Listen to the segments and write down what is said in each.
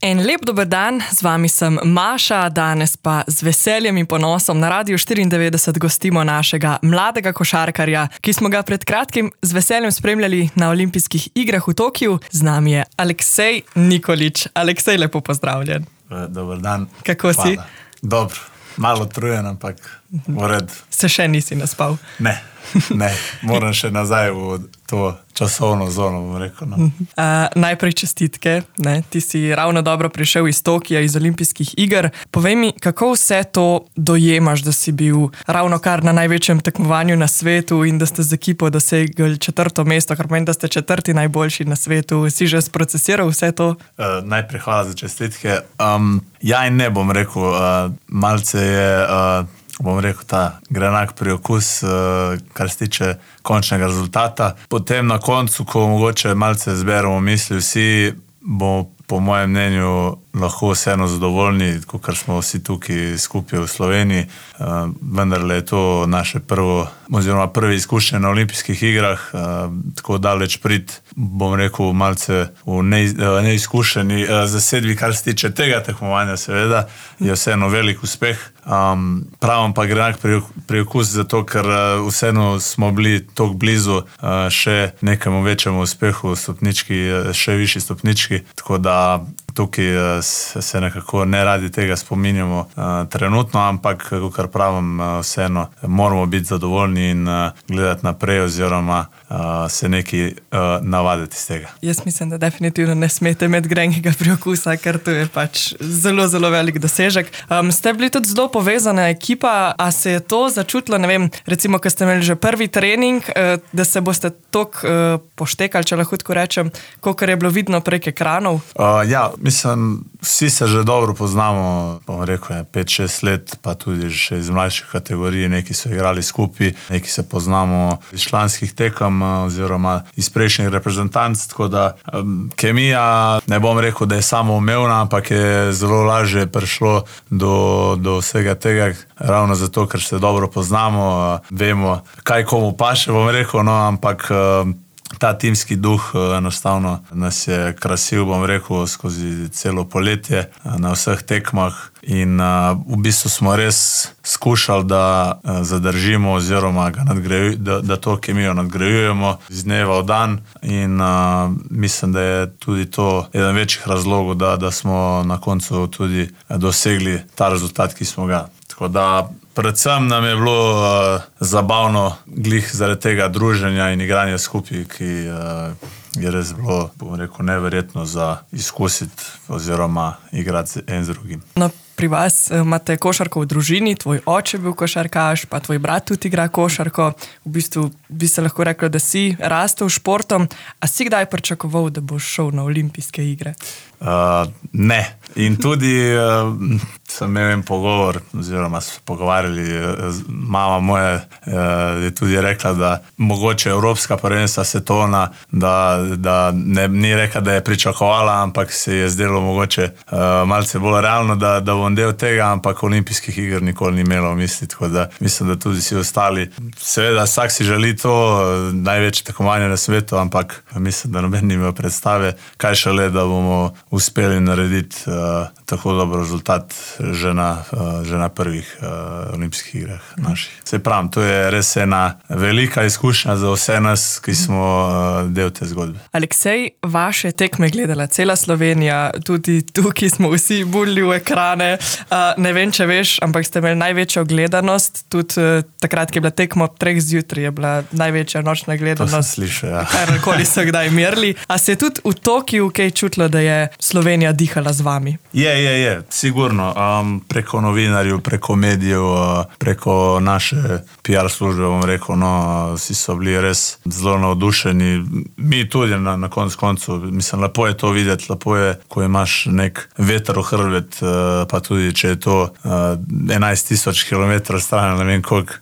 En lep dober dan, z vami sem Maša, danes pa z veseljem in ponosom na Radiu 94 gostimo našega mladega košarkarja, ki smo ga pred kratkim z veseljem spremljali na olimpijskih igrah v Tokiu. Z nami je Aleksej Nikolić. Aleksej, lepo pozdravljen. Dober dan. Kako si? Dobro, malo utrujen, ampak v redu. Se še nisi naspal? Ne, moram še nazaj v to časovno zono, bom rekel. No. Najprej čestitke, ti si ravno dobro prišel iz Tokija, iz olimpijskih iger. Povej mi, kako vse to dojemaš, da si bil ravno kar na največjem tekmovanju na svetu in da ste z ekipo dosegli 4. mesto, kar pomeni, da ste 4. najboljši na svetu. Si že sprocesiral vse to? Najprej hvala za čestitke. Ja in ne, bom rekel, malce je... bom rekel, ta grenak priokus, kar se tiče končnega rezultata. Potem na koncu, ko mogoče malce zberemo misli vsi, bomo po mojem mnenju lahko vseeno zadovoljni, kot smo vsi tukaj skupaj v Sloveniji. Vendarle je to naše prve izkušnje na olimpijskih igrah, tako daleč prid, bom rekel, malce v neizkušeni zasedbi, kar se tiče tega tekmovanja, seveda, je vseeno velik uspeh. Pravim pa grenak priokus zato, ker vseeno smo bili toliko blizu še nekemu večjemu uspehu, še višji stopnički, tako da tukaj se nekako ne radi tega spominjamo trenutno, ampak, kar pravim, vseeno moramo biti zadovoljni in gledati naprej oziroma se nekaj navaditi iz tega. Jaz mislim, da definitivno ne smete imeti grenjega priokusa, ker to je pač zelo, zelo velik dosežek. Ste bili tudi zelo povezana ekipa, a se je to začutilo, ne vem, recimo, ko ste imeli že prvi trening, da se boste toliko poštekali, če lahko tako rečem, kolikor je bilo vidno prek ekranov? Ja, mislim, vsi se že dobro poznamo, bom rekel, 5-6 let, pa tudi še iz mlajših kategorij, neki so igrali skupaj, neki se poznamo iz članskih tekem oziroma iz prejšnjih reprezentanc, tako da kemija, ne bom rekel, da je samoumevna, ampak je zelo lažje prišlo do vsega tega, ravno zato, ker se dobro poznamo, vemo, kaj komu paše, bom rekel, no, ampak ta timski duh enostavno nas je krasil, bom rekel, skozi celo poletje na vseh tekmah in v bistvu smo res skušali, da zadržimo oziroma da to kemijo nadgrajujemo iz dneva v dan in mislim, da je tudi to eden večjih razlogov, da smo na koncu tudi dosegli ta rezultat, ki smo ga. Tako da predvsem nam je bilo zabavno glih zaradi tega druženja in igranja skupaj, ki je res bilo, bom rekel, neverjetno za izkusiti oziroma igrati en z drugim. No, pri vas imate košarko v družini, tvoj oče bil košarkaš, pa tvoj brat tudi igra košarko. V bistvu bi se lahko reklo, da si rastel športom. A si kdaj pričakoval, da boš šel na olimpijske igre? Ne. In tudi sem imel en pogovor, oziroma smo pogovarjali, mama moja je tudi rekla, da mogoče evropska prvenstva svetovna, da ni rekla, da je pričakovala, ampak se je zdelo mogoče malce bolj realno, da bom del tega, ampak olimpijskih iger nikoli ni imela v misli, tako da mislim, da tudi vsi ostali. Seveda, vsak si želi to, največje tekmovanje na svetu, ampak mislim, da noben ni imel predstave, kaj šele, da bomo uspeli narediti tako dober rezultat že na prvih olimpijskih igrah naših. Se pravim, to je res ena velika izkušnja za vse nas, ki smo del te zgodbe. Aleksej, vaše tekme gledala cela Slovenija, tudi tukaj smo vsi bulili v ekrane. Ne vem, če veš, ampak ste imeli največjo gledanost, tudi takrat, ki je bila tekma ob 3 zjutraj, je bila največja nočna gledanost. To sem slišal, ja. Karkoli so kdaj merili. A se je tudi v Tokiju kaj čutilo, da je Slovenija dihala z vami? Je, sigurno. Preko novinarjev, preko medijev, preko naše PR službe, bom rekel, no, vsi so bili res zelo navdušeni. Mi tudi na koncu, mislim, lepo je to videti, lepo je, ko imaš nek veter v hrbet, pa tudi če je to 11,000 km stran, ne vem koliko.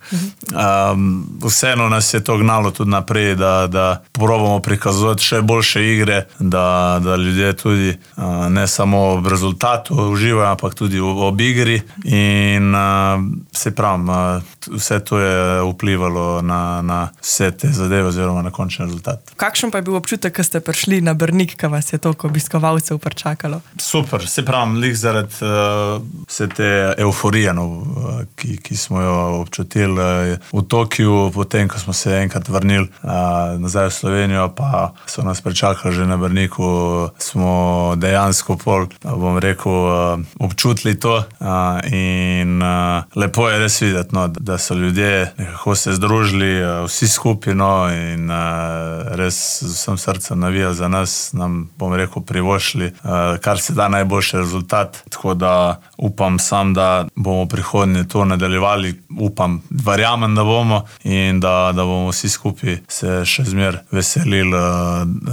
Vseeno nas je to gnalo tudi naprej, da probamo prikazovati še boljše igre, da ljudje tudi ne samo v rezultatu uživajo, ampak tudi ob igri in se pravim, vse to je vplivalo na vse te zadeve oziroma na končni rezultat. Kakšen pa je bil občutek, ko ste prišli na Brnik, ko vas je toliko obiskovalcev pričakalo? Super, se pravim, lih zaradi vse te euforije, ki smo jo občutili v Tokiu, potem, ko smo se enkrat vrnili nazaj v Slovenijo, pa so nas pričakali že na Brniku, smo dejansko bom rekel, občutili to in lepo je res videti, da so ljudje nekako se združili, vsi skupaj in res z vsem srcem navijali za nas, nam, bom rekel, privoščili, kar se da najboljši rezultat. Tako da upam sam, da bomo prihodnje to nadaljevali, verjamem, da bomo in da bomo vsi skupaj se še zmer veselili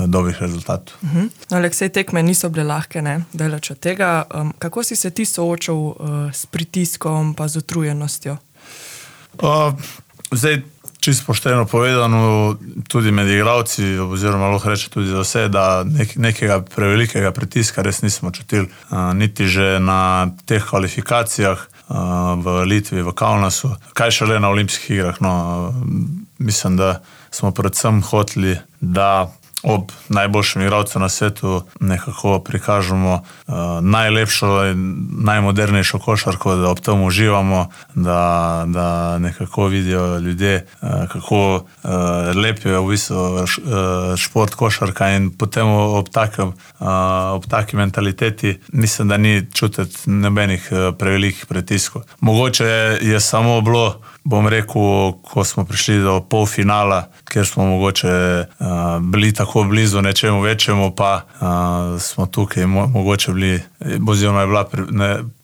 dobrih rezultatov. Aleksej, tekme niso bile lahke, ne? Daleč od tega. Kako si se ti soočal s pritiskom pa z utrujenostjo? Zdaj, čisto pošteno povedano, tudi med igralci, oziroma lahko reče tudi za vse, da nekega prevelikega pritiska res nismo čutili. Niti že na teh kvalifikacijah v Litvi, v Kaunasu, kaj šele na olimpijskih igrah. Mislim, da smo predvsem hoteli, da ob najboljšem igralcu na svetu nekako prikažemo najlepšo in najmodernejšo košarko, da ob tem uživamo, da nekako vidijo ljudje, kako lep je v bistvu šport košarka in potem ob taki mentaliteti mislim, da ni čutiti nobenih prevelikih pritiskov. Mogoče je samo bilo, bom rekel, ko smo prišli do polfinala, kjer smo mogoče bili tako blizu nečemu večjemu, pa smo tukaj mogoče bili, oziroma je bila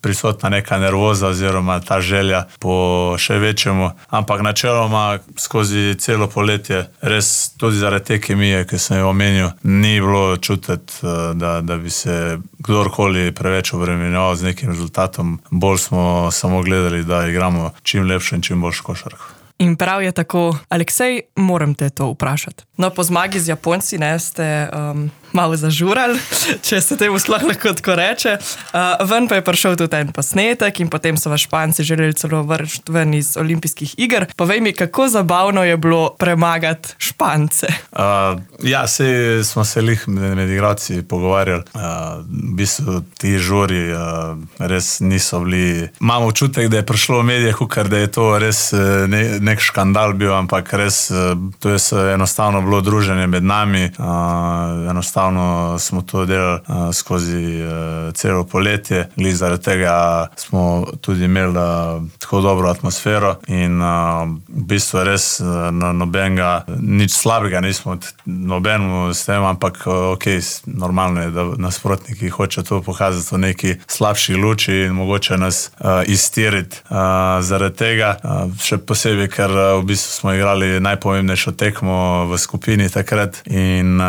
prisotna neka nervoza oziroma ta želja po še večjemu, ampak načeloma skozi celo poletje, res tudi zaradi te kemije, ki sem jo omenil, ni bilo čutiti, da bi se kdorkoli preveč obremenjeval z nekim rezultatom. Bolj smo samo gledali, da igramo čim lepšo in čim boljšo košarko. In prav je tako. Aleksej, moram te to vprašati. No, po zmagi z Japonci ste malo zažurali, če se temu sploh lahko tako reče. Ven pa je prišel tudi en posnetek in potem so vas Španci želeli celo vršiti ven iz olimpijskih iger. Povej mi, kako zabavno je bilo premagati Špance? Ja, sej smo se lih med igralci pogovarjali. V bistvu ti žuri res niso bili. Imam občutek, da je prišlo v medijih, ker da je to res nek škandal bil, ampak res to je enostavno bilo druženje med nami. Enostavno smo to delali skozi celo poletje. Glih zaradi tega smo tudi imeli tako dobro atmosfero in v bistvu res nobenega, nič slabega nismo nobenemu s tem, ampak normalno je, da nasprotniki hoče to pokazati v neki slabši luči in mogoče nas iztiriti zaradi tega. Še posebej, ker v bistvu smo igrali najpomembnejšo tekmo v skupini takrat in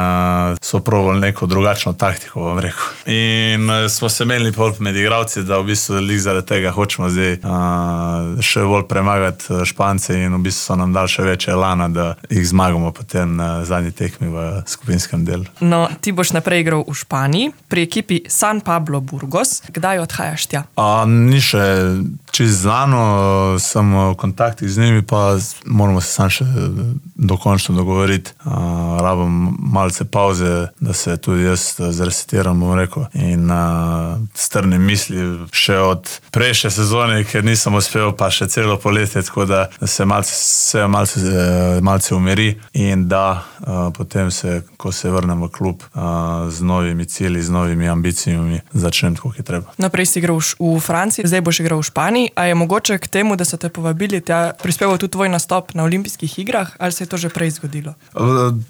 so probali neko drugačno taktiko, bom rekel. In smo se menili med igralci, da v bistvu zaradi tega hočemo zdaj še bolj premagati Špance in v bistvu so nam dali še več elana, da jih zmagamo potem na zadnji tekmi v skupinskem delu. No, ti boš naprej igral v Španiji, pri ekipi San Pablo Burgos. Kdaj odhajaš tja? Ni še čisto znano, sem v kontaktih z njimi, pa moramo se sam še dokončno dogovoriti. Rabim malce pauze, da se tudi jaz zresetiram, bom rekel, in strnem misli še od prejšnje sezone, ker nisem uspel, pa še celo poletje, tako da se malce umiri in da potem se, ko se vrnem v klub z novimi cilji, z novimi ambicijami, začnem tako, ki treba. Naprej si igral v Franciji, zdaj boš igral v Španiji. A je mogoče k temu, da so te povabili tja, prispeval tudi tvoj nastop na olimpijskih igrah, ali se je to že prej zgodilo?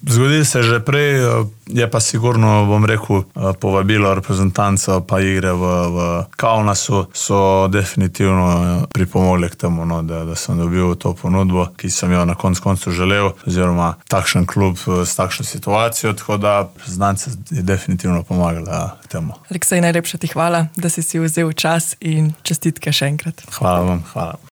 Zgodilo se že prej, je pa sigurno, bom rekel, povabilo reprezentanco pa igre v v Kaunasu so definitivno pripomogli k temu, no, da sem dobil to ponudbo, ki sem jo na koncu želel, oziroma takšen klub s takšno situacijo, tako da znance je definitivno pomagala k temu. Aleksej, najlepša ti hvala, da si vzel čas in čestitke še enkrat. Hvala vam, hvala.